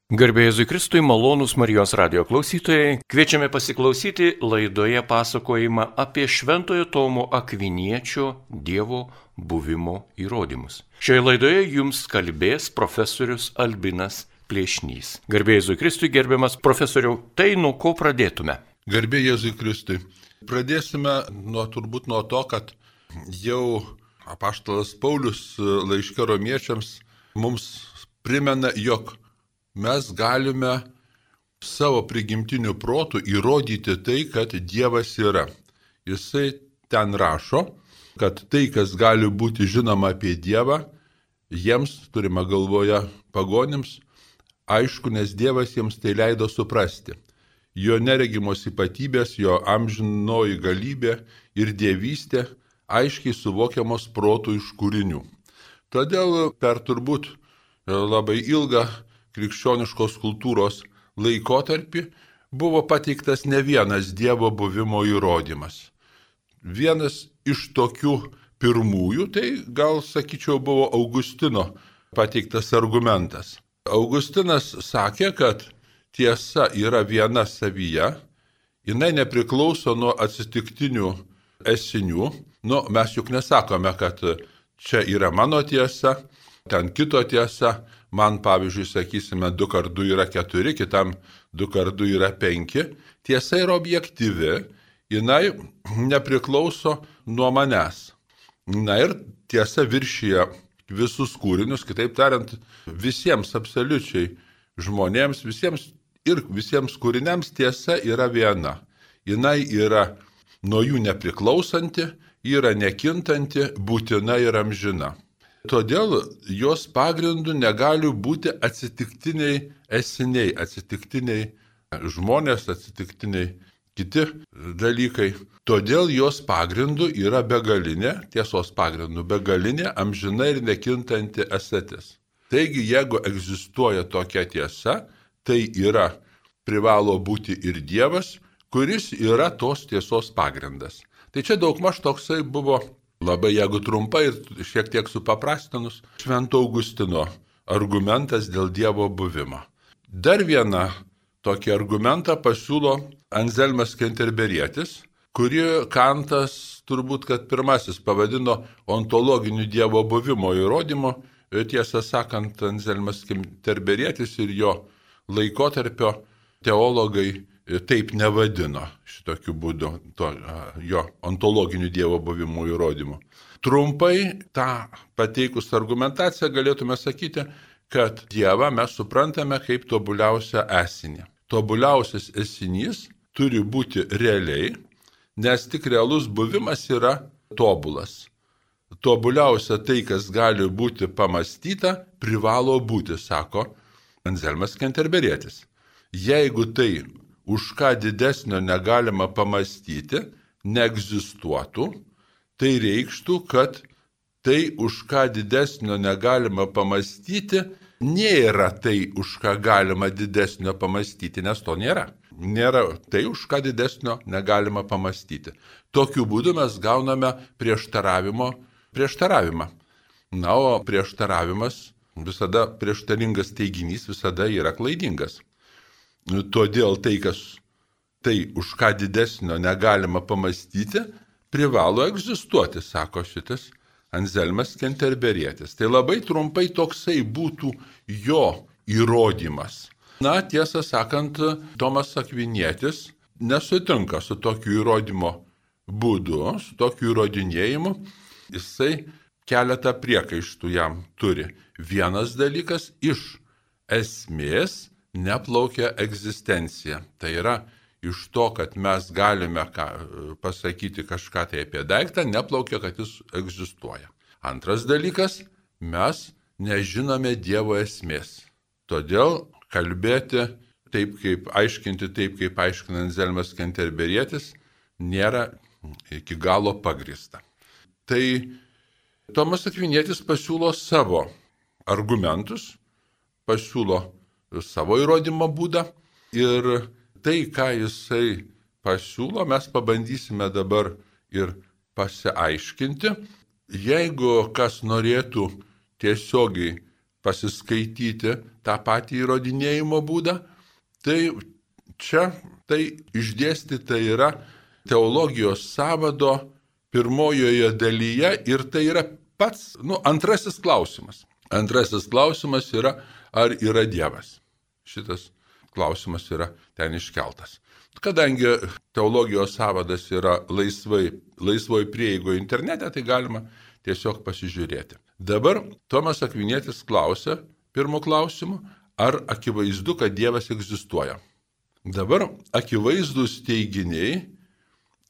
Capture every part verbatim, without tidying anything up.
Garbė Jėzui Kristui, malonūs Marijos radijo klausytojai, kviečiame pasiklausyti laidoje pasakojimą apie Šventojo Tomo Akviniečio Dievo buvimo įrodymus. Šioje laidoje jums kalbės profesorius Albinas Plėšnys. Garbė Jėzui Kristui, gerbiamas profesoriau, tai nuo ko pradėtume? Garbė Jėzui Kristui. Pradėsime nuo turbūt nuo to, kad jau apaštalas Paulius laiške romiečiams mums primena, jog mes galime savo prigimtiniu protu įrodyti tai, kad Dievas yra. Jisai ten rašo, kad tai, kas gali būti žinoma apie Dievą, jiems, turime galvoje pagonims, aišku, nes Dievas jiems tai leido suprasti. Jo neregimos ypatybės, jo amžinoji galybė ir dievystė aiškiai suvokiamos protų iš kūrinių. Todėl per turbūt labai ilgą krikščioniškos kultūros laikotarpį buvo pateiktas ne vienas Dievo buvimo įrodymas. Vienas iš tokių pirmųjų, tai gal sakyčiau, buvo Augustino pateiktas argumentas. Augustinas sakė, kad tiesa yra viena savyje, jinai nepriklauso nuo atsitiktinių esinių. Nu, mes juk nesakome, kad čia yra mano tiesa, ten kito tiesa. Man, pavyzdžiui, sakysime, du kart du yra keturi, kitam du kart du yra penki. Tiesa yra objektyvi, jinai nepriklauso nuo manęs. Na ir tiesa viršyje visus kūrinius, kitaip tariant, visiems absoliučiai žmonėms, visiems ir visiems kūriniams tiesa yra viena. Jinai yra nuo jų nepriklausanti, yra nekintanti, būtina ir amžina. Todėl jos pagrindu negali būti atsitiktiniai esiniai, atsitiktiniai žmonės, atsitiktiniai kiti dalykai. Todėl jos pagrindu yra begalinė, tiesos pagrindu begalinė, amžina ir nekintanti esatis. Taigi, jeigu egzistuoja tokia tiesa, tai yra privalo būti ir Dievas, kuris yra tos tiesos pagrindas. Tai čia daugmaž toksai buvo, labai jeigu trumpai ir šiek tiek supaprastinus, Švento Augustino argumentas dėl Dievo buvimo. Dar vieną tokį argumentą pasiūlo Anzelmas Kenterberietis, kurį Kantas turbūt, kad pirmasis pavadino ontologiniu Dievo buvimo įrodymu. Tiesą sakant, Anzelmas Kenterberietis ir jo laikotarpio teologai taip nevadino šitokiu būdu to, jo ontologiniu Dievo buvimo įrodymu. Trumpai tą pateikus argumentaciją galėtume sakyti, kad Dievą mes suprantame kaip tobuliausią esinį. Tobuliausias esinys turi būti realiai, nes tik realus buvimas yra tobulas. Tobuliausia tai, kas gali būti pamastyta, privalo būti, sako Anzelmas Kenterberietis. Jeigu tai, už ką didesnio negalima pamastyti, neegzistuotų, tai reikštų, kad tai, už ką didesnio negalima pamastyti, nėra tai, už ką galima didesnio pamastyti, nes to nėra. Nėra tai, už ką didesnio negalima pamastyti. Tokiu būdu mes gauname prieštaravimo prieštaravimą. Na, o prieštaravimas, visada prieštaringas teiginys visada yra klaidingas. Todėl tai, kas tai, už ką didesnio negalima pamastyti, privalo egzistuoti, sako šitas Anzelmas Kenterberietis. Tai labai trumpai toksai būtų jo įrodymas. Na, tiesą sakant, Tomas Akvinietis nesutinka su tokiu įrodymo būdu, su tokiu įrodinėjimu. Jisai keletą priekaištų jam turi. Vienas dalykas, iš esmės neplaukia egzistencija. Tai yra, iš to, kad mes galime ką, pasakyti kažką tai apie daiktą, neplaukia, kad jis egzistuoja. Antras dalykas, mes nežinome Dievo esmės. Todėl kalbėti taip, kaip aiškinti taip, kaip aiškina Anzelmas Kenterberietis, nėra iki galo pagrįsta. Tai Tomas Akvinietis pasiūlo savo argumentus, pasiūlo savo įrodymo būdą ir tai, ką jisai pasiūlo, mes pabandysime dabar ir pasiaiškinti. Jeigu kas norėtų tiesiogiai pasiskaityti tą patį įrodinėjimo būdą, tai čia tai išdėstyta yra teologijos sąvado pirmojoje dalyje ir tai yra pats, nu, antrasis klausimas. Antrasis klausimas yra, ar yra Dievas. Šitas klausimas yra ten iškeltas. Kadangi teologijos sąvadas yra laisvai, laisvoj prieigoje internete, tai galima tiesiog pasižiūrėti. Dabar Tomas Akvinietis klausia pirmo klausimu, ar akivaizdu, kad Dievas egzistuoja. Dabar akivaizdus teiginiai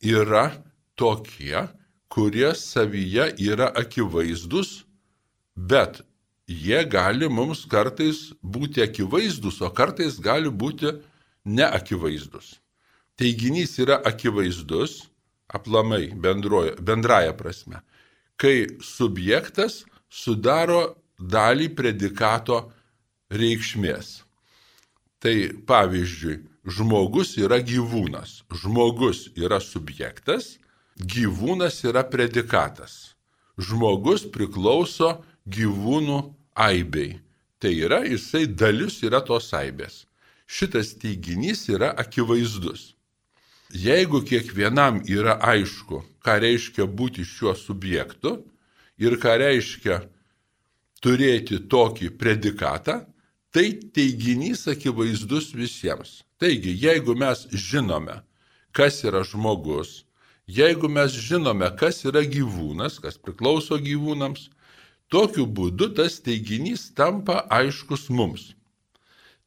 yra tokie, kurie savyje yra akivaizdus, bet jie gali mums kartais būti akivaizdus, o kartais gali būti neakivaizdus. Teiginys yra akivaizdus, aplamai bendroje, bendraja prasme, kai subjektas sudaro dalį predikato reikšmės. Tai pavyzdžiui, žmogus yra gyvūnas, žmogus yra subjektas, gyvūnas yra predikatas. Žmogus priklauso gyvūnų aibei. Tai yra, jisai dalis yra tos aibės. Šitas teiginys yra akivaizdus. Jeigu kiekvienam yra aišku, ką reiškia būti šiuo subjektu ir ką reiškia turėti tokį predikatą, tai teiginys akivaizdus visiems. Taigi, jeigu mes žinome, kas yra žmogus, jeigu mes žinome, kas yra gyvūnas, kas priklauso gyvūnams, tokiu būdu tas teiginys tampa aiškus mums.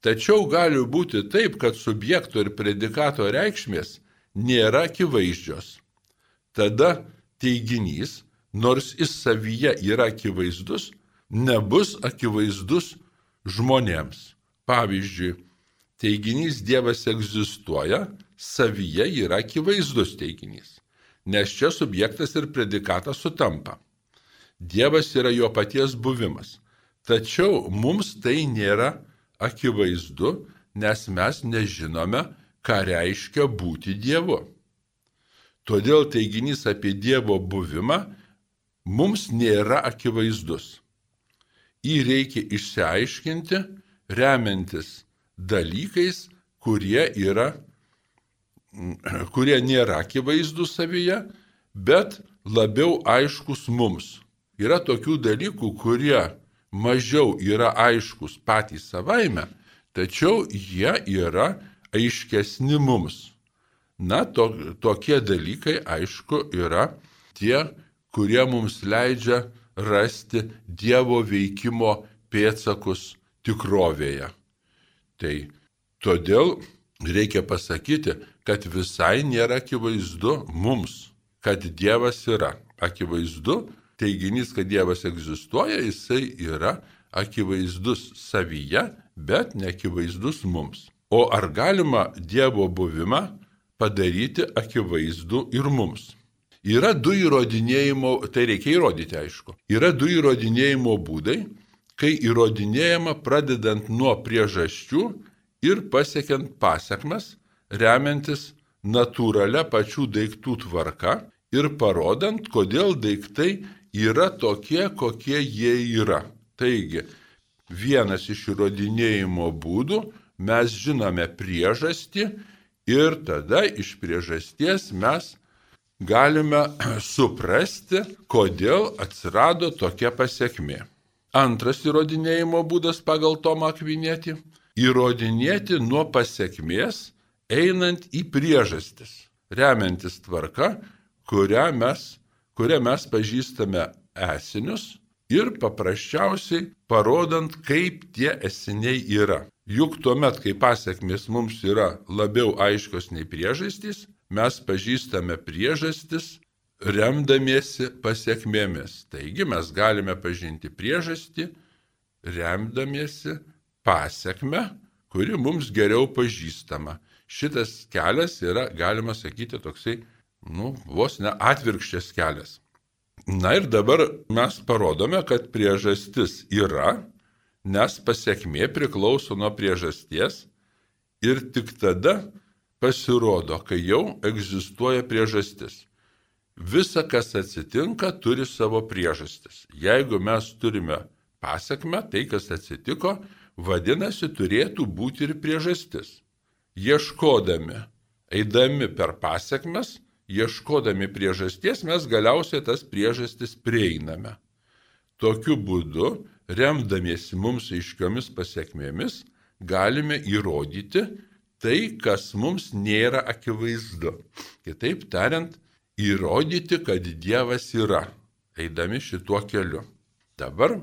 Tačiau gali būti taip, kad subjekto ir predikato reikšmės nėra akivaizdžios. Tada teiginys, nors jis savyje yra akivaizdus, nebus akivaizdus žmonėms. Pavyzdžiui, teiginys Dievas egzistuoja, savyje yra akivaizdus teiginys, nes čia subjektas ir predikatas sutampa. Dievas yra jo paties buvimas, tačiau mums tai nėra akivaizdu, nes mes nežinome, ką reiškia būti Dievu. Todėl teiginys apie Dievo buvimą mums nėra akivaizdus. Jį reikia išsiaiškinti, remiantis dalykais, kurie, yra, kurie nėra akivaizdus savyje, bet labiau aiškus mums. Yra tokių dalykų, kurie mažiau yra aiškus patys savaime, tačiau jie yra aiškesni mums. Na, to, tokie dalykai, aišku, yra tie, kurie mums leidžia rasti Dievo veikimo pėdsakus tikrovėje. Tai todėl reikia pasakyti, kad visai nėra akivaizdu mums, kad Dievas yra. Akivaizdu, teiginys, kad Dievas egzistuoja, jisai yra akivaizdus savyje, bet neakivaizdus mums. O ar galima Dievo buvimą padaryti akivaizdu ir mums? Yra du įrodinėjimo, tai reikia įrodyti aišku, yra du įrodinėjimo būdai, kai įrodinėjama pradedant nuo priežasčių ir pasiekiant pasekmes, remiantis natūralia pačių daiktų tvarka ir parodant, kodėl daiktai yra tokie, kokie jie yra. Taigi, vienas iš įrodinėjimo būdų, mes žinome priežastį ir tada iš priežasties mes galime suprasti, kodėl atsirado tokia pasekmė. Antras įrodinėjimo būdas pagal Tomą Akvinietį – įrodinėti nuo pasekmės einant į priežastis, remiantis tvarka, kurią mes, kurią mes pažįstame esinius ir paprasčiausiai parodant, kaip tie esiniai yra. Juk tuomet, kai pasekmės mums yra labiau aiškios nei priežastys, mes pažįstame priežastis remdamiesi pasekmėmis. Taigi mes galime pažinti priežastį remdamiesi pasekmę, kuri mums geriau pažįstama. Šitas kelias yra, galima sakyti, toksai, nu, vos ne atvirkščias kelias. Na ir dabar mes parodome, kad priežastis yra, nes pasekmė priklauso nuo priežasties ir tik tada pasirodo, kai jau egzistuoja priežastis. Visa, kas atsitinka, turi savo priežastis. Jeigu mes turime pasekmę, tai, kas atsitiko, vadinasi, turėtų būti ir priežastis. Ieškodami, eidami per pasekmes, ieškodami priežasties, mes galiausiai tas priežastis prieiname. Tokiu būdu, remdamiesi mums aiškiomis pasekmėmis, galime įrodyti tai, kas mums nėra akivaizdu. Kitaip tariant, įrodyti, kad Dievas yra, eidami šituo keliu. Dabar,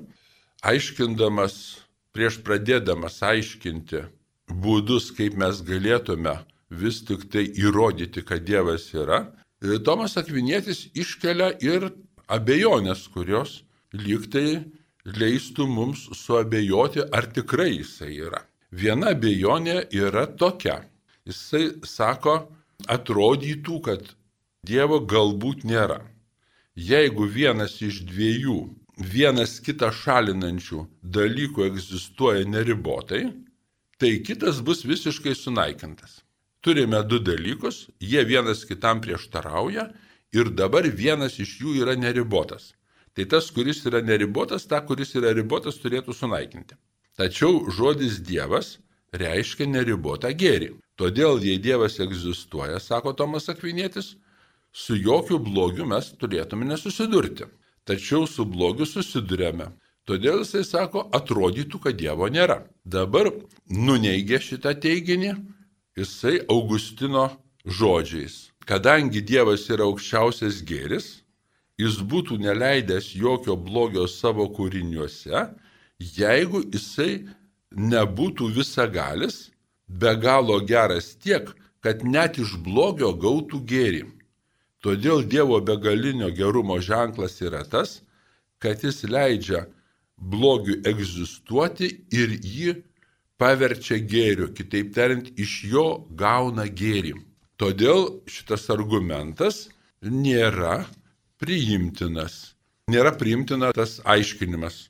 aiškindamas, prieš pradėdamas aiškinti būdus, kaip mes galėtume vis tik tai įrodyti, kad Dievas yra, Tomas Akvinietis iškelia ir abejonės, kurios lyg tai leistų mums suabejoti, ar tikrai jisai yra. Viena abejonė yra tokia. Jisai sako, atrodytų, kad Dievo galbūt nėra. Jeigu vienas iš dviejų, vienas kitą šalinančių dalykų egzistuoja neribotai, tai kitas bus visiškai sunaikintas. Turime du dalykus, jie vienas kitam prieštarauja ir dabar vienas iš jų yra neribotas. Tai tas, kuris yra neribotas, tą, kuris yra ribotas, turėtų sunaikinti. Tačiau žodis Dievas reiškia neribotą gėrį. Todėl, jei Dievas egzistuoja, sako Tomas Akvinietis, su jokiu blogiu mes turėtume nesusidurti. Tačiau su blogiu susidurėme. Todėl jisai sako, atrodytų, kad Dievo nėra. Dabar nuneigia šitą teiginį jisai Augustino žodžiais. Kadangi Dievas yra aukščiausias gėris, jis būtų neleidęs jokio blogio savo kūriniuose, jeigu jisai nebūtų visagalis, be galo geras tiek, kad net iš blogio gautų gėrį. Todėl Dievo begalinio gerumo ženklas yra tas, kad jis leidžia blogiui egzistuoti ir jį paverčia gėriu, kitaip tariant, iš jo gauna gėrį. Todėl šitas argumentas nėra priimtinas. Nėra priimtina tas aiškinimas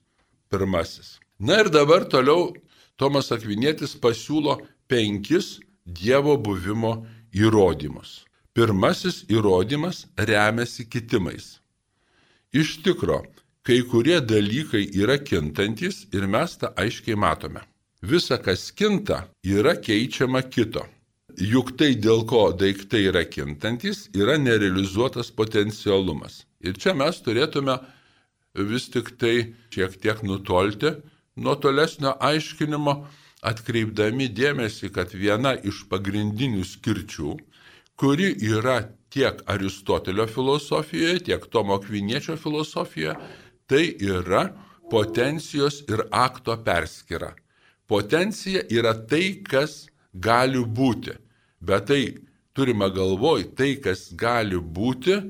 pirmasis. Na ir dabar toliau Tomas Akvinietis pasiūlo penkis Dievo buvimo įrodymus. Pirmasis įrodymas remiasi kitimais. Iš tikro, kai kurie dalykai yra kintantis ir mes tą aiškiai matome. Visa, kas kinta, yra keičiama kito. Juk tai, dėl ko daiktai yra kintantis, yra nerealizuotas potencialumas. Ir čia mes turėtume vis tik tai šiek tiek nutolti nuo tolesnio aiškinimo, atkreipdami dėmesį, kad viena iš pagrindinių skirčių, kuri yra tiek Aristotelio filosofijoje, tiek Tomo Akviniečio filosofijoje, tai yra potencijos ir akto perskyra. Potencija yra tai, kas gali būti, bet tai turime galvoj tai, kas gali būti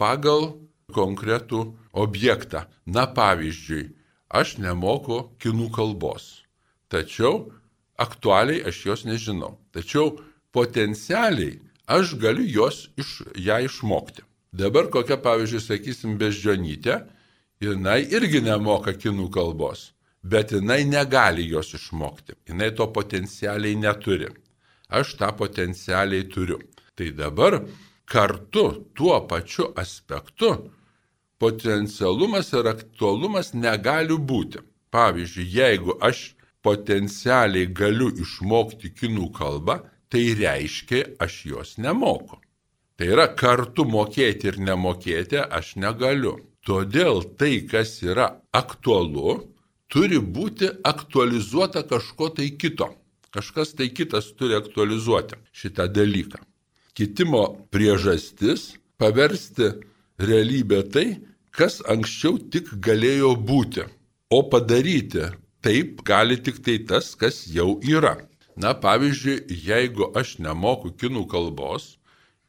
pagal konkretų objektą. Na pavyzdžiui, aš nemoku kinų kalbos, tačiau aktualiai aš jos nežinau. Tačiau potencialiai aš galiu jos iš, ją išmokti. Dabar kokia, pavyzdžiui, sakysim, Beždžionytė, jinai irgi nemoka kinų kalbos, bet jinai negali jos išmokti. Jinai to potencialiai neturi. Aš tą potencialiai turiu. Tai dabar kartu tuo pačiu aspektu potencialumas ir aktualumas negali būti. Pavyzdžiui, jeigu aš potencialiai galiu išmokti kinų kalbą, tai reiškia, aš jos nemoku. Tai yra kartu mokėti ir nemokėti aš negaliu. Todėl tai, kas yra aktualu, turi būti aktualizuota kažko tai kito. Kažkas tai kitas turi aktualizuoti šitą dalyką. Kitimo priežastis paversti realybę tai, kas anksčiau tik galėjo būti. O padaryti taip gali tik tai tas, kas jau yra. Na, pavyzdžiui, jeigu aš nemoku kinų kalbos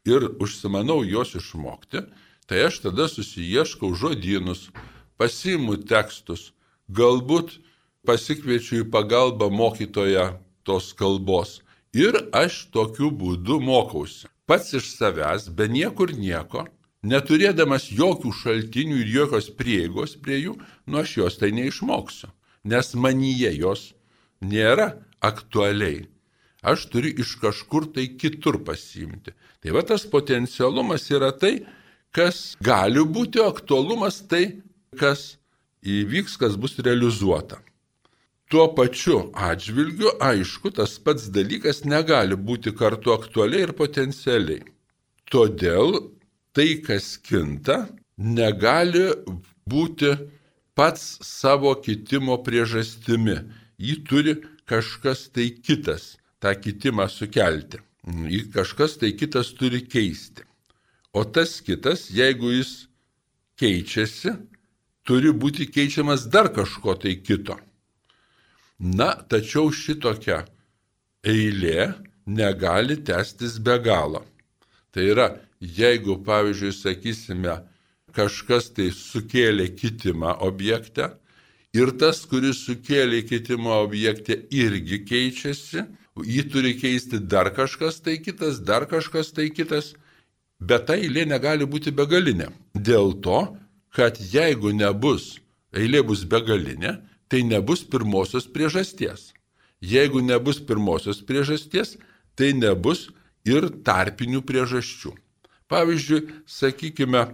ir užsimanau jos išmokti, tai aš tada susiieškau žodynus, pasiimu tekstus, galbūt pasikviečiu į pagalbą mokytoją tos kalbos ir aš tokiu būdu mokausi. Pats iš savęs, be niekur nieko, neturėdamas jokių šaltinių ir jokios prieigos prie jų, nu aš jos tai neišmoksiu, nes manyje jos nėra aktualiai. Aš turiu iš kažkur tai kitur pasiimti. Tai va tas potencialumas yra tai, kas gali būti, aktualumas tai, kas įvyks, kas bus realizuota. Tuo pačiu atžvilgiu, aišku, tas pats dalykas negali būti kartu aktualiai ir potencialiai. Todėl tai, kas kinta, negali būti pats savo kitimo priežastimi. Jį turi kažkas tai kitas tą kitimą sukelti. Jį kažkas tai kitas turi keisti. O tas kitas, jeigu jis keičiasi, turi būti keičiamas dar kažko tai kito. Na, tačiau šitokia eilė negali tęstis be galo. Tai yra, jeigu, pavyzdžiui, sakysime, kažkas tai sukėlė kitimą objekte ir tas, kuris sukėlė kitimą objekte, irgi keičiasi, jį turi keisti dar kažkas tai kitas, dar kažkas tai kitas, bet ta eilė negali būti begalinė. Dėl to, kad jeigu nebus, eilė bus begalinė, tai nebus pirmosios priežasties. Jeigu nebus pirmosios priežasties, tai nebus ir tarpinių priežasčių. Pavyzdžiui, sakykime,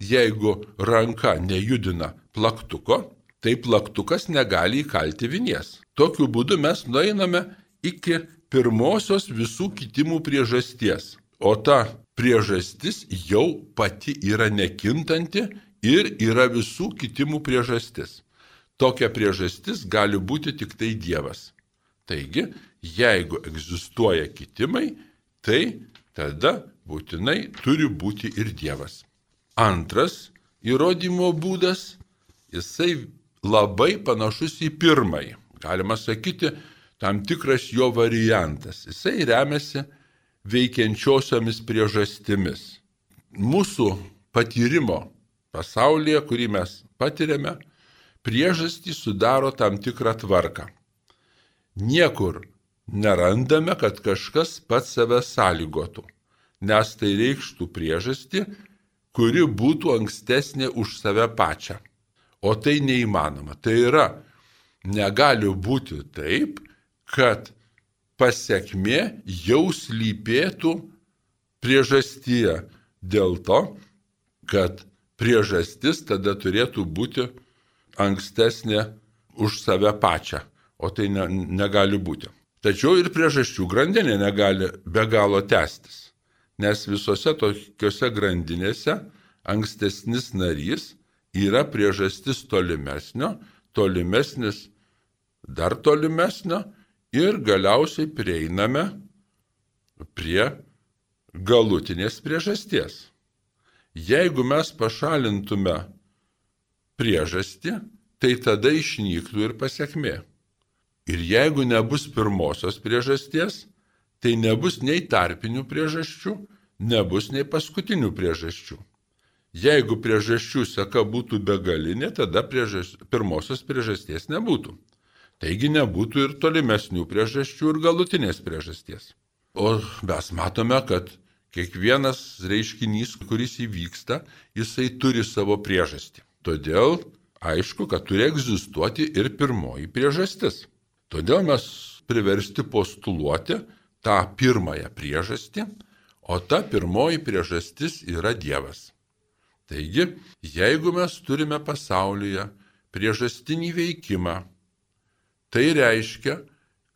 jeigu ranka nejudina plaktuko, tai plaktukas negali įkalti vinies. Tokiu būdu mes nueiname iki pirmosios visų kitimų priežasties. O ta priežastis jau pati yra nekintanti ir yra visų kitimų priežastis. Tokia priežastis gali būti tik tai Dievas. Taigi, jeigu egzistuoja kitimai, tai tada būtinai turi būti ir Dievas. Antras įrodymo būdas, jisai labai panašus į pirmąjį. Galima sakyti, tam tikras jo variantas. Jisai remiasi veikiančiosiomis priežastimis. Mūsų patyrimo pasaulyje, kurį mes patiriame, priežastį sudaro tam tikrą tvarką. Niekur nerandame, kad kažkas pats save sąlygotų, nes tai reikštų priežastį, kuri būtų ankstesnė už save pačią. O tai neįmanoma. Tai yra, negali būti taip, kad pasekmė jau slypėtų priežastyje dėl to, kad priežastis tada turėtų būti ankstesnė už save pačią, o tai ne, negali būti. Tačiau ir priežasčių grandinė negali be galo tęstis, nes visose tokiose grandinėse ankstesnis narys yra priežastis tolimesnio, tolimesnis dar tolimesnio ir galiausiai prieiname prie galutinės priežasties. Jeigu mes pašalintume priežastį, tai tada išnyktų ir pasekmė. Ir jeigu nebus pirmosios priežasties, tai nebus nei tarpinių priežasčių, nebus nei paskutinių priežasčių. Jeigu priežasčių seka būtų begalinė, tada priežas, pirmosios priežasties nebūtų. Taigi nebūtų ir tolimesnių priežasčių ir galutinės priežasties. O mes matome, kad kiekvienas reiškinys, kuris įvyksta, jisai turi savo priežastį. Todėl aišku, kad turi egzistuoti ir pirmoji priežastis. Todėl mes priversti postuluoti tą pirmąją priežastį, o ta pirmoji priežastis yra Dievas. Taigi, jeigu mes turime pasaulyje priežastinį veikimą, tai reiškia,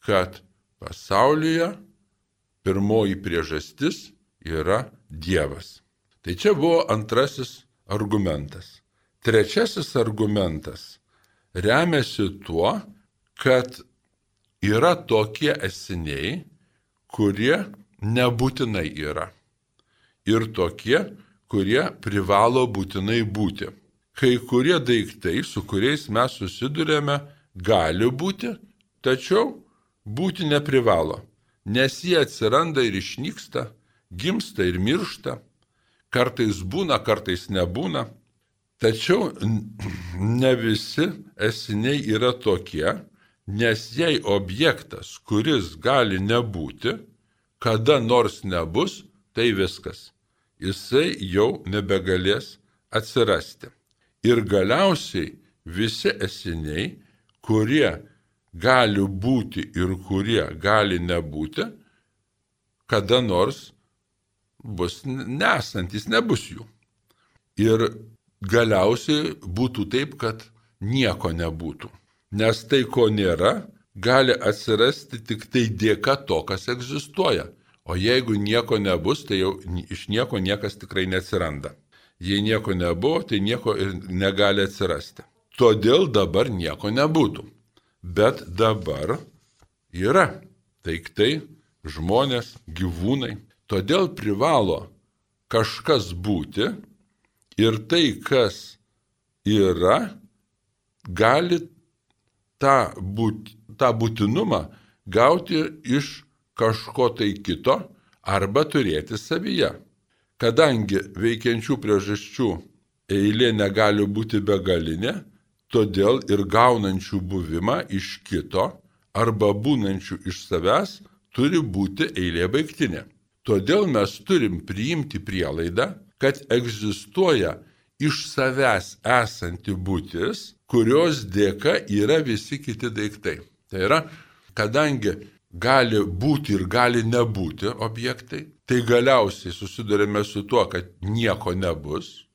kad pasaulyje pirmoji priežastis yra Dievas. Tai čia buvo antrasis argumentas. Trečiasis argumentas remiasi tuo, kad yra tokie esiniai, kurie nebūtinai yra. Ir tokie, kurie privalo būtinai būti. Kai kurie daiktai, su kuriais mes susidurėme, gali būti, tačiau būti neprivalo, nes jie atsiranda ir išnyksta, gimsta ir miršta, kartais būna, kartais nebūna. Tačiau ne visi esiniai yra tokie, nes jei objektas, kuris gali nebūti, kada nors nebus, tai viskas. Jisai jau nebegalės atsirasti. Ir galiausiai visi esiniai, kurie gali būti ir kurie gali nebūti, kada nors bus nesantis, nebus jų. Ir galiausiai būtų taip, kad nieko nebūtų. Nes tai, ko nėra, gali atsirasti tik tai dėka to, kas egzistuoja. O jeigu nieko nebus, tai jau iš nieko niekas tikrai neatsiranda. Jei nieko nebuvo, tai nieko ir negali atsirasti. Todėl dabar nieko nebūtų. Bet dabar yra daiktai, žmonės, gyvūnai. Todėl privalo kažkas būti ir tai, kas yra, gali tą, būt, tą būtinumą gauti iš kažko tai kito arba turėti savyje. Kadangi veikiančių priežasčių eilė negali būti begalinė, todėl ir gaunančių buvimą iš kito arba būnančių iš savęs turi būti eilė baigtinė. Todėl mes turim priimti prielaidą, kad egzistuoja iš savęs esanti būtis, kurios dėka yra visi kiti daiktai. Tai yra, kadangi gali būti ir gali nebūti objektai, tai galiausiai susidurime su tuo, kad nieko nebus.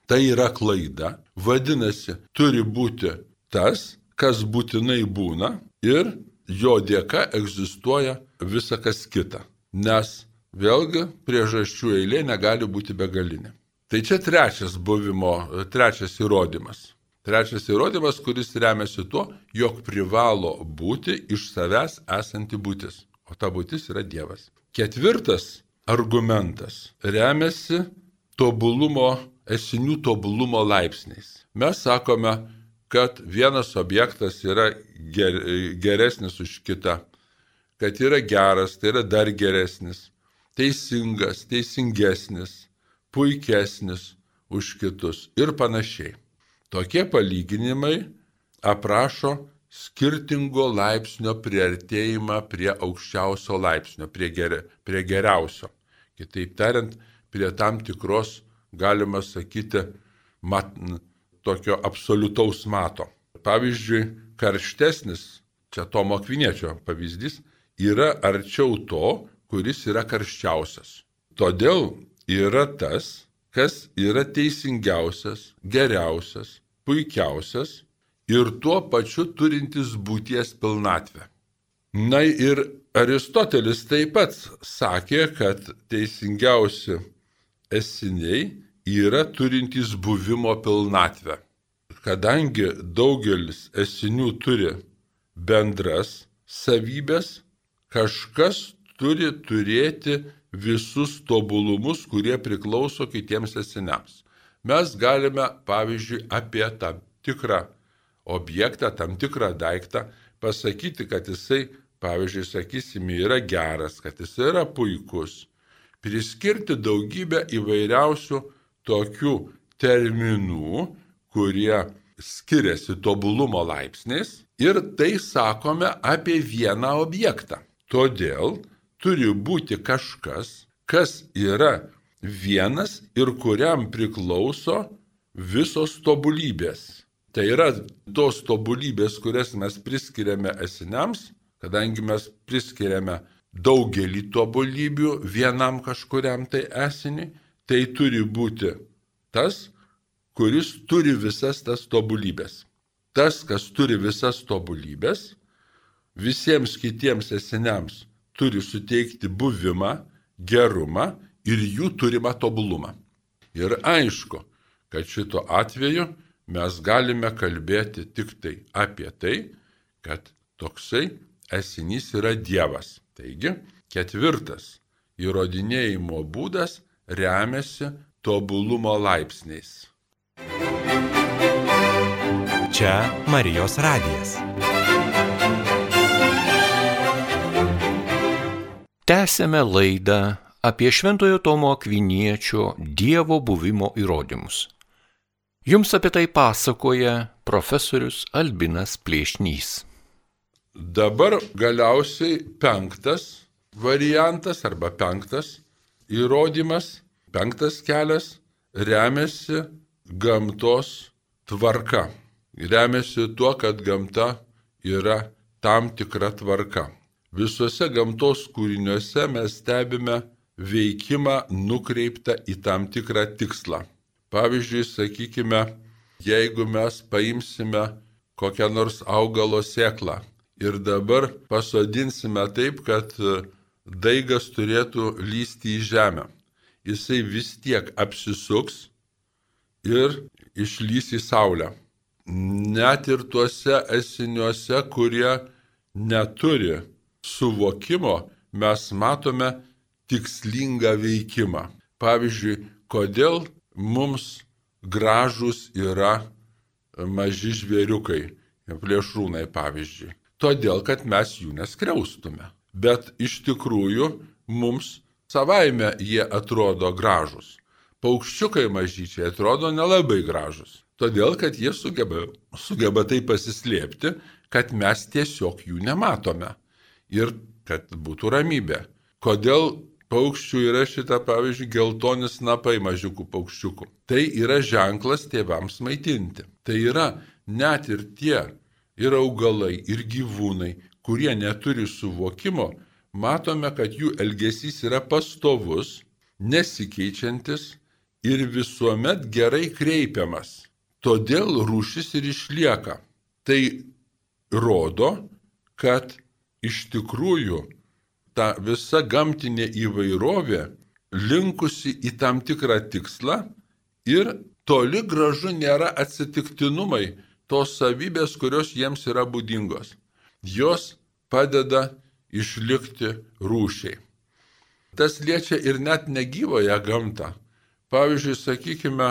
Tai yra klaida. Vadinasi, turi būti tas, kas būtinai būna ir jo dėka egzistuoja visa kas kita. Nes vėlgi priežasčių eilė negali būti begalinė. Tai čia trečias buvimo, trečias įrodymas. Trečias įrodymas, kuris remiasi tuo, jog privalo būti iš savęs esanti būtis. O ta būtis yra Dievas. Ketvirtas argumentas remiasi tobulumo, esinių tobulumo laipsniais. Mes sakome, kad vienas objektas yra ger, geresnis už kitą, kad yra geras, tai yra dar geresnis, teisingas, teisingesnis, puikesnis už kitus ir panašiai. Tokie palyginimai aprašo skirtingo laipsnio priartėjimą prie aukščiausio laipsnio, prie, ger, prie geriausio. Kitaip tariant, prie tam tikros, galima sakyti, mat, tokio absoliutaus mato. Pavyzdžiui, karštesnis, čia Tomo Akviniečio pavyzdys, yra arčiau to, kuris yra karščiausias. Todėl yra tas, kas yra teisingiausias, geriausias, puikiausias ir tuo pačiu turintis būties pilnatvę. Na ir Aristotelis taip pat sakė, kad teisingiausi esiniai yra turintys buvimo pilnatvę. Kadangi daugelis esinių turi bendras savybės, kažkas turi turėti visus tobulumus, kurie priklauso kitiems esiniams. Mes galime, pavyzdžiui, apie tam tikrą objektą, tam tikrą daiktą pasakyti, kad jisai, pavyzdžiui, sakysime, yra geras, kad jisai yra puikus. Priskirti daugybę įvairiausių tokių terminų, kurie skiriasi tobulumo laipsniais ir tai sakome apie vieną objektą. Todėl turi būti kažkas, kas yra vienas ir kuriam priklauso visos tobulybės. Tai yra tos tobulybės, kurias mes priskiriame esiniams, kadangi mes priskiriame daugelį tobulybių vienam kažkuriam tai esiniui, tai turi būti tas, kuris turi visas tas tobulybės. Tas, kas turi visas tobulybės, visiems kitiems esiniams turi suteikti buvimą, gerumą ir jų turimą tobulumą. Ir aišku, kad šito atveju mes galime kalbėti tik tai apie tai, kad toksai esinys yra Dievas. Taigi, ketvirtas įrodinėjimo būdas remiasi tobulumo laipsniais. Čia Marijos radijas. Tęsėme laidą apie Šventojo Tomo Akviniečio Dievo buvimo įrodymus. Jums apie tai pasakoja profesorius Albinas Plėšnys. Dabar galiausiai penktas variantas arba penktas įrodymas, penktas kelias remiasi gamtos tvarka. Remiasi tuo, kad gamta yra tam tikra tvarka. Visuose gamtos kūriniuose mes stebime veikimą nukreiptą į tam tikrą tikslą. Pavyzdžiui, sakykime, jeigu mes paimsime kokią nors augalo sėklą ir dabar pasodinsime taip, kad daigas turėtų lysti į žemę, jisai vis tiek apsisuks ir išlys į saulę. Net ir tuose esiniuose, kurie neturi suvokimo, mes matome tikslingą veikimą. Pavyzdžiui, kodėl mums gražus yra maži žvėriukai, plėšrūnai pavyzdžiui. Todėl, kad mes jų neskriaustume. Bet iš tikrųjų mums savaime jie atrodo gražus. Paukščiukai mažyčiai atrodo nelabai gražus. Todėl, kad jie sugeba, sugeba tai pasislėpti, kad mes tiesiog jų nematome. Ir kad būtų ramybė. Kodėl paukščių yra šita, pavyzdžiui, geltoni snapai mažiukų paukščiukų? Tai yra ženklas tėvams maitinti. Tai yra net ir tie, ir augalai, ir gyvūnai, kurie neturi suvokimo, matome, kad jų elgesys yra pastovus, nesikeičiantis ir visuomet gerai kreipiamas. Todėl rūšis ir išlieka. Tai rodo, kad iš tikrųjų ta visa gamtinė įvairovė linkusi į tam tikrą tikslą ir toli gražu nėra atsitiktinumai tos savybės, kurios jiems yra būdingos. Jos padeda išlikti rūšiai. Tas liečia ir net negyvąją gamtą. Pavyzdžiui, sakykime,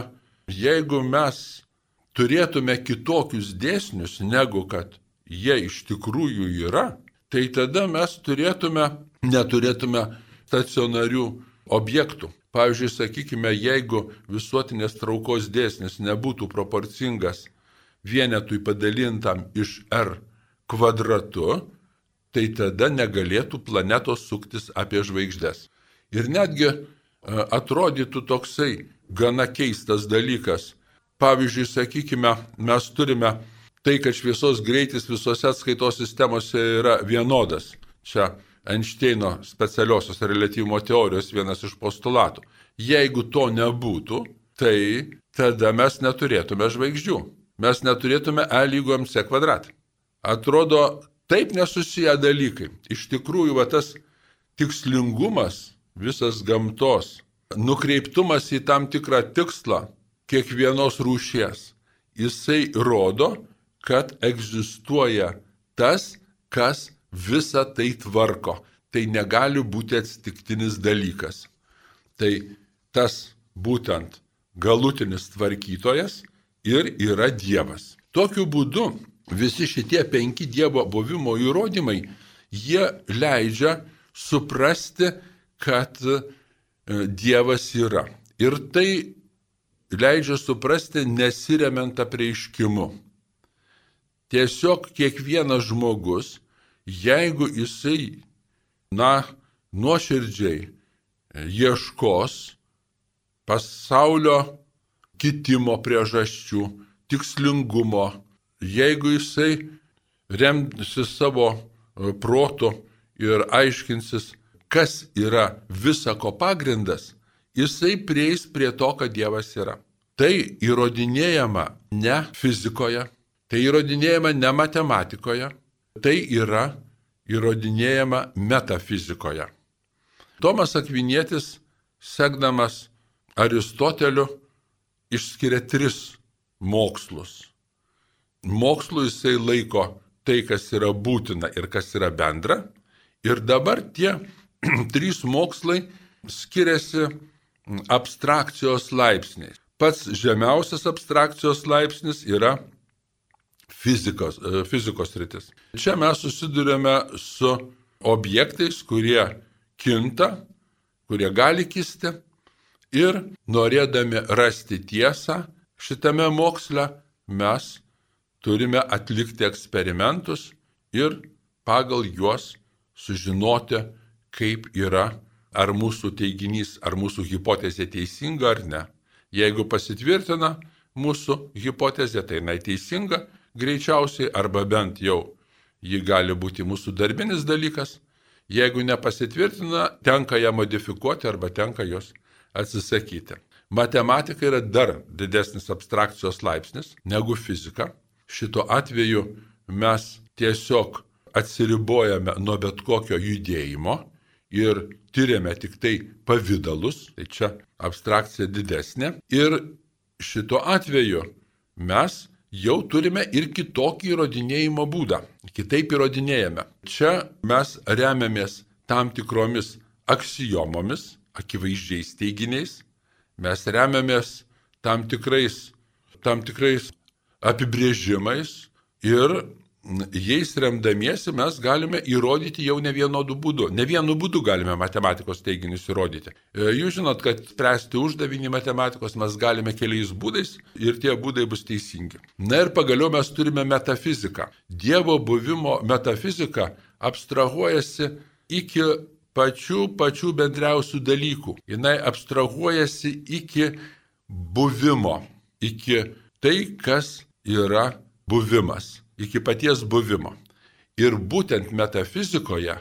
jeigu mes turėtume kitokius dėsnius, negu kad jie iš tikrųjų yra, tai tada mes turėtume, neturėtume stacionarių objektų. Pavyzdžiui, sakykime, jeigu visuotinės traukos dėsnis nebūtų proporcingas vienetui padalintam iš R kvadratu, tai tada negalėtų planetos suktis apie žvaigždes. Ir netgi atrodytų toksai gana keistas dalykas. Pavyzdžiui, sakykime, mes turime tai, kad šviesos greitis visose atskaitos sistemose yra vienodas. Čia Einšteino specialiosios reliatyvumo teorijos vienas iš postulatų. Jeigu to nebūtų, tai tada mes neturėtume žvaigždžių. Mes neturėtume E lygu M C kvadratą. Atrodo, taip nesusiję dalykai. Iš tikrųjų, va, tas tikslingumas visas gamtos, nukreiptumas į tam tikrą tikslą kiekvienos rūšies, jisai rodo, kad egzistuoja tas, kas visą tai tvarko. Tai negali būti atsitiktinis dalykas. Tai tas būtent galutinis tvarkytojas ir yra Dievas. Tokiu būdu visi šitie penki Dievo buvimo įrodymai, jie leidžia suprasti, kad Dievas yra. Ir tai leidžia suprasti nesiremiant apreiškimu. Tiesiog kiekvienas žmogus, jeigu jisai, na, nuoširdžiai ieškos pasaulio kitimo priežasčių, tikslingumo, jeigu jisai remsis savo protu ir aiškinsis, kas yra visako pagrindas, jisai prieis prie to, kad Dievas yra. Tai įrodinėjama ne fizikoje, tai įrodinėjama ne matematikoje, tai yra įrodinėjama metafizikoje. Tomas Akvinietis, sekdamas Aristoteliu, išskiria tris mokslus. Mokslu jisai laiko tai, kas yra būtina ir kas yra bendra. Ir dabar tie trys mokslai skiriasi abstrakcijos laipsniais. Pats žemiausias abstrakcijos laipsnis yra fizikos, fizikos sritis. Čia mes susidurėme su objektais, kurie kinta, kurie gali kisti ir norėdami rasti tiesą šitame moksle mes turime atlikti eksperimentus ir pagal juos sužinoti, kaip yra, ar mūsų teiginys, ar mūsų hipotezė teisinga ar ne. Jeigu pasitvirtina mūsų hipotezė, tai jinai teisinga greičiausiai, arba bent jau ji gali būti mūsų darbinis dalykas. Jeigu nepasitvirtina, tenka ją modifikuoti arba tenka jos atsisakyti. Matematika yra dar didesnis abstrakcijos laipsnis negu fizika. Šituo atveju mes tiesiog atsiribojame nuo bet kokio judėjimo ir tyriame tik tai pavydalus, tai čia abstrakcija didesnė. Ir šituo atveju mes jau turime ir kitokį įrodinėjimo būdą, kitaip įrodinėjame. Čia mes remiamės tam tikromis aksiomomis, akivaizdžiais teiginiais, mes remiamės tam tikrais, tam tikrais apibrėžimais ir jais remdamiesi mes galime įrodyti jau ne vienodų būdų. Ne vienu būdu galime matematikos teiginius įrodyti. Jūs žinot, kad spręsti uždavinį matematikos mes galime keliais būdais ir tie būdai bus teisingi. Na ir pagaliau mes turime metafiziką. Dievo buvimo metafizika abstrahuojasi iki pačių pačių bendriausių dalykų. Jis abstrahuojasi iki buvimo, iki tai, kas yra buvimas. Iki paties buvimo. Ir būtent metafizikoje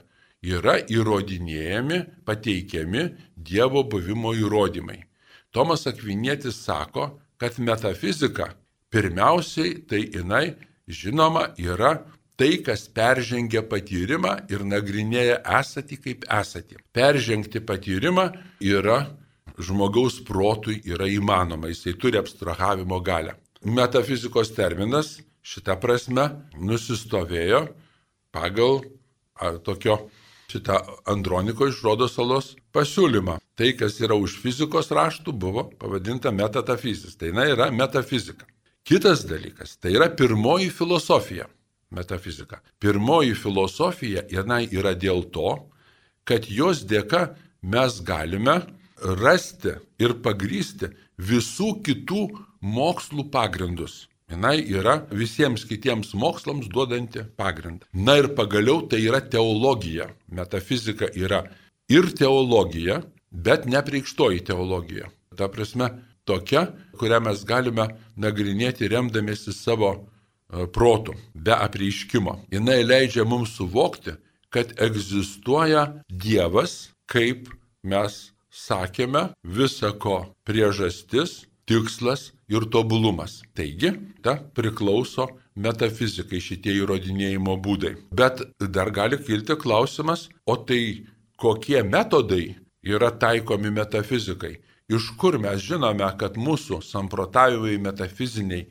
yra įrodinėjami, pateikiami Dievo buvimo įrodymai. Tomas Akvinietis sako, kad metafizika pirmiausiai tai jinai, žinoma, yra tai, kas peržengia patyrimą ir nagrinėja esatį kaip esatį. Peržengti patyrimą yra žmogaus protui yra įmanoma, jisai turi abstrahavimo galią. Metafizikos terminas šitą prasme nusistovėjo pagal a, tokio šitą Androniko iš Rodos salos pasiūlymą. Tai, kas yra už fizikos raštų, buvo pavadinta metatafizis. Tai na, yra metafizika. Kitas dalykas, tai yra pirmoji filosofija. Metafizika. Pirmoji filosofija jinai yra dėl to, kad jos dėka mes galime rasti ir pagrysti visų kitų mokslų pagrindus. Jinai yra visiems kitiems mokslams duodanti pagrindą. Na ir pagaliau tai yra teologija. Metafizika yra ir teologija, bet nepreikštoji teologija. Ta prasme, tokia, kurią mes galime nagrinėti remdamiesi savo protų, be apreiškimo. Jinai leidžia mums suvokti, kad egzistuoja Dievas, kaip mes sakėme, visako priežastis, tikslas ir tobulumas. Taigi, ta priklauso metafizikai šitie įrodinėjimo būdai. Bet dar gali kilti klausimas, o tai kokie metodai yra taikomi metafizikai? Iš kur mes žinome, kad mūsų samprotavimai metafiziniai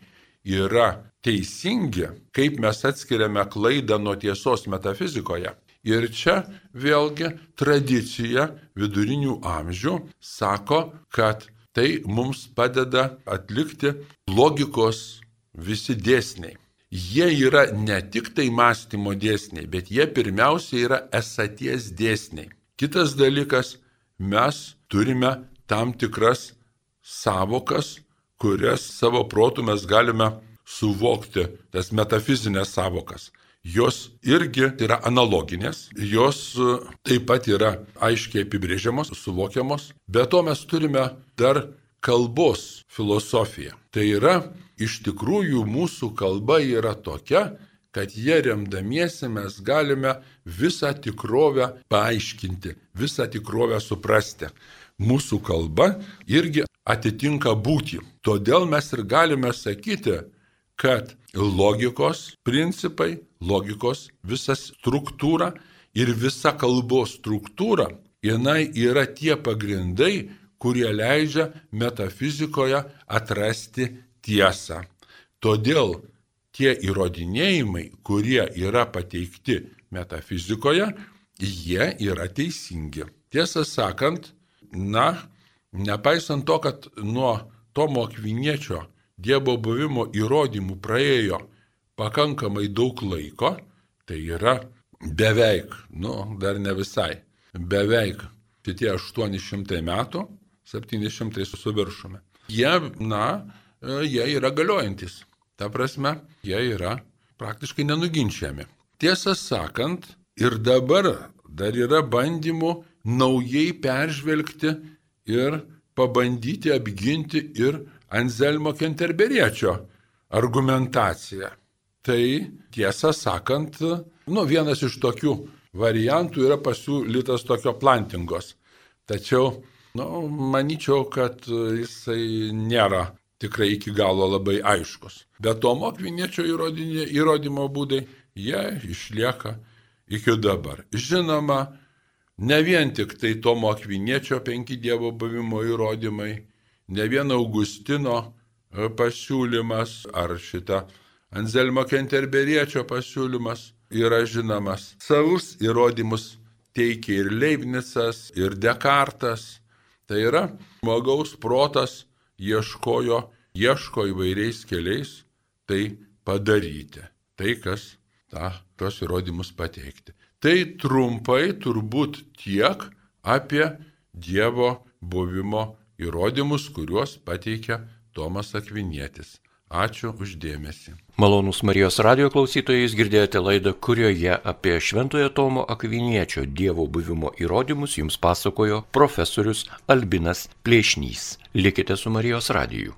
yra teisingi, kaip mes atskiriame klaidą nuo tiesos metafizikoje? Ir čia vėlgi tradicija vidurinių amžių sako, kad tai mums padeda atlikti logikos visi dėsniai. Jie yra ne tik tai mąstymo dėsniai, bet jie pirmiausia yra esaties dėsniai. Kitas dalykas, mes turime tam tikras savokas, kurias savo protu mes galime suvokti, tas metafizinės savokas. Jos irgi yra analoginės, jos taip pat yra aiškiai apibrėžiamos, suvokiamos, bet to mes turime dar kalbos filosofiją. Tai yra, iš tikrųjų mūsų kalba yra tokia, kad jie remdamiesi mes galime visą tikrovę paaiškinti, visą tikrovę suprasti. Mūsų kalba irgi atitinka būtį. Todėl mes ir galime sakyti, kad logikos principai, logikos visa struktūra ir visa kalbos struktūra, jinai yra tie pagrindai, kurie leidžia metafizikoje atrasti tiesą. Todėl tie įrodinėjimai, kurie yra pateikti metafizikoje, jie yra teisingi. Tiesą sakant, na, nepaisant to, kad nuo Tomo Akviniečio Dievo buvimo įrodymų praėjo pakankamai daug laiko, tai yra beveik, nu, dar ne visai, beveik šitie aštuoni šimtai metų, septyni šimtai su viršumi. Jie, na, jie yra galiojantis. Ta prasme, jie yra praktiškai nenuginčiami. Tiesą sakant, ir dabar dar yra bandymų naujai peržvelgti ir pabandyti apginti ir Anzelmo Kenterberiečio argumentaciją. Tai tiesą sakant, nu, vienas iš tokių variantų yra pasiūlytas tokio plantingos. Tačiau Nu, manyčiau, kad jisai nėra tikrai iki galo labai aiškus. Bet Tomo Akviniečio įrodymo būdai, jie išlieka iki dabar. Žinoma, ne vien tik tai Tomo Akviniečio penki Dievo buvimo įrodymai, ne vien Augustino pasiūlymas ar šita Anzelmo Kenterberiečio pasiūlymas yra žinomas. Savus įrodymus teikia ir Leibnicas, ir Dekartas. Tai yra, žmogaus protas ieškojo, ieško įvairiais keliais tai padaryti. Tai, kas tą, tos įrodymus pateikti. Tai trumpai turbūt tiek apie Dievo buvimo įrodymus, kuriuos pateikia Tomas Akvinietis. Ačiū uždėmesį. Malonūs Marijos radijo klausytojai, jūs girdėjote laidą, kurioje apie Šventojo Tomo Akviniečio Dievo buvimo įrodymus jums pasakojo profesorius Albinas Plėšnys. Likite su Marijos radiju.